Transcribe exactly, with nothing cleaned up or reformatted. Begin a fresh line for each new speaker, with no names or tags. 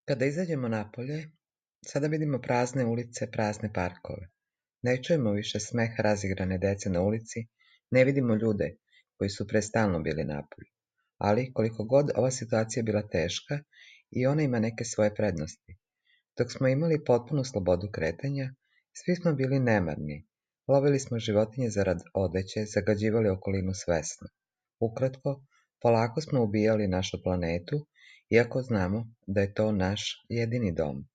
Kada izađemo napolje, sada vidimo prazne ulice, prazne parkove. Ne čujemo više smeh razigrane dece na ulici, ne vidimo ljude koji su pre stalno bili napolju. Ali, koliko god ova situacija bila teška, i ona ima neke svoje prednosti. Dok smo imali potpunu slobodu kretanja, svi smo bili nemarni. Lovili smo životinje zarad odeće, zagađivali okolinu svesno. Ukratko, polako smo ubijali našu planetu, iako znamo da je to naš jedini dom.